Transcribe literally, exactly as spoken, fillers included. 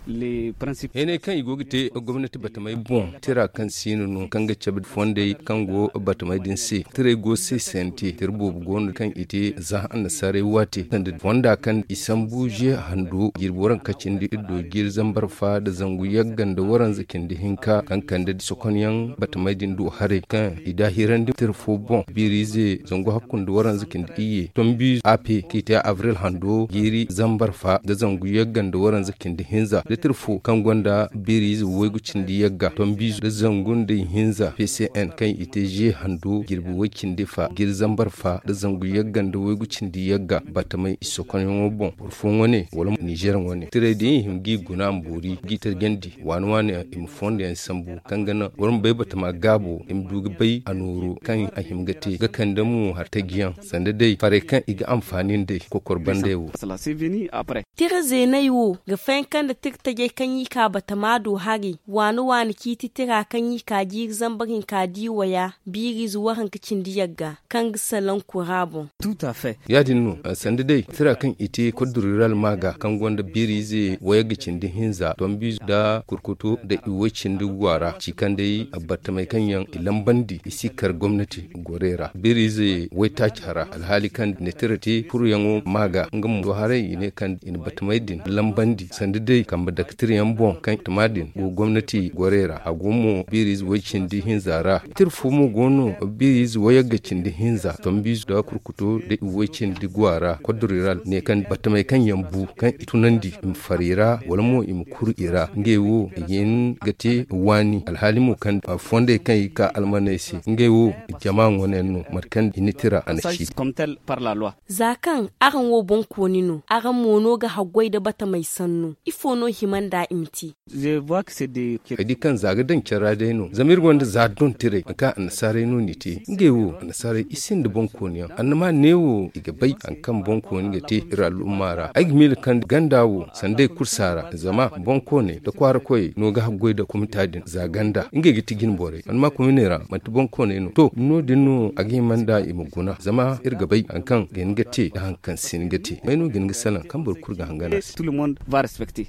Heenay kaŋ i go ga te gomnati batamey boŋ, tira kaŋ siino no kaŋ ga cabe fondey kaŋ go batamey din se. Tirey go se sente tira boobo go no kaŋ i te za annasaarey waate sanda fonda kaŋ i sambu ze hando jirbi waranka cindi iddo jiiri zambar fa nda zangu yagga nda waranza cindi hinka kaŋ kande sokonyaŋ batamey din du haray kaŋ i daahirandi tira fo boŋ. Biiriize zangu hakku nda waranza cindi iyye tombiize a p kaŋ i te abril hando jiiri zambar fa nda zangu yagga nda waranza cindi hinza da tira fo kaŋ gonda biiriize waygu cindi yagga tombiize nda zangu nda ihinza p c n kaŋ i te ze hando jirbi way cindi fa jiiri zambar fa nda zangu yagga nda waygu cindi yagga batamey i sokonyaŋo boŋ boro fo wane wala nizer wane tirey din i hima g'i guna ma boori g'i tarjandi waani waani i ma fondo yaŋ sambu kaŋ ga naŋ boro ma bay batama gaabo i ma du ga bay a nooru kaŋ a hima ga te ga kande mo hari taji yaŋ sanda day farey kaŋ i ga anfaani nd'ey kokor bandey wo. Tira zeeney wo ga fayanka nda tira tajey kaŋ i ka batama do hari waani waani ciiti tira kaŋ i ka jiiri zambar hinka di waya biiriize waranka cindi yagga kaŋ ga salaŋ kura boŋ. Ya- din no sanda day tira kaŋ i te koddo rural maaga kaŋ gonda biiriize wayagga cindi hinza tombiize nda kurkutu nda iway cindi gwaara ci kaŋ day battamey kaŋ yaŋ i lambandi i si kar gomnati gorey ra biiriize waytaaci hara alhaali kaŋ ne tira te kuruyaŋo maaga nga mo do haray i ne kaŋ i na battamey din lambandi sanda day kambe dake tirayaŋ boŋ kaŋ tuma din go gomnati gorey ra a go mo biiriize way cindi hinza ra tira fo mo go no biiriize wayagga cindi hinza tombiize nda kurkutu nda iway cindi gwaara koddo rural ne kaŋ battamey kaŋ yaŋ bu kaŋ i tunandi i ma far i ra wala mo i ma kuru i ra ngey wo i ga hin ga te waani alhaali mo kaŋ fondey kaŋ i ga ka almaney se ngey wo jama ŋwaneyaŋ no mate kaŋ i na tira a na ci. Za kaŋ araŋ wo boŋkooni no araŋ mo no ga haggoy nda batamey sannu ifo no hima nd'a i ma te? Ay di kaŋ za ga daŋ care ra day no zama iri gonda za dontirey nangu kaŋ annasaarey no n'i te ngey wo annasaarey i sinda boŋkooniyaŋ annama neewo i ga bay hari kaŋ boŋkooni ga te iri al'umma ra ay ga miila kaŋ ganda wo sanda ay kursa ra zama boŋkooney nda kwaara koyey no ga haggoy nda kumita din za ganda ngey ga ti jine borey annama kuminey ra manti boŋkooney no to no- din no a ga hima nda i ma guna zama iri ga bay hari kaŋ ga hin ga te nda hari kaŋ si hin ga te may no ga hin ga salaŋ kaŋ boro kulu ga hangan a se.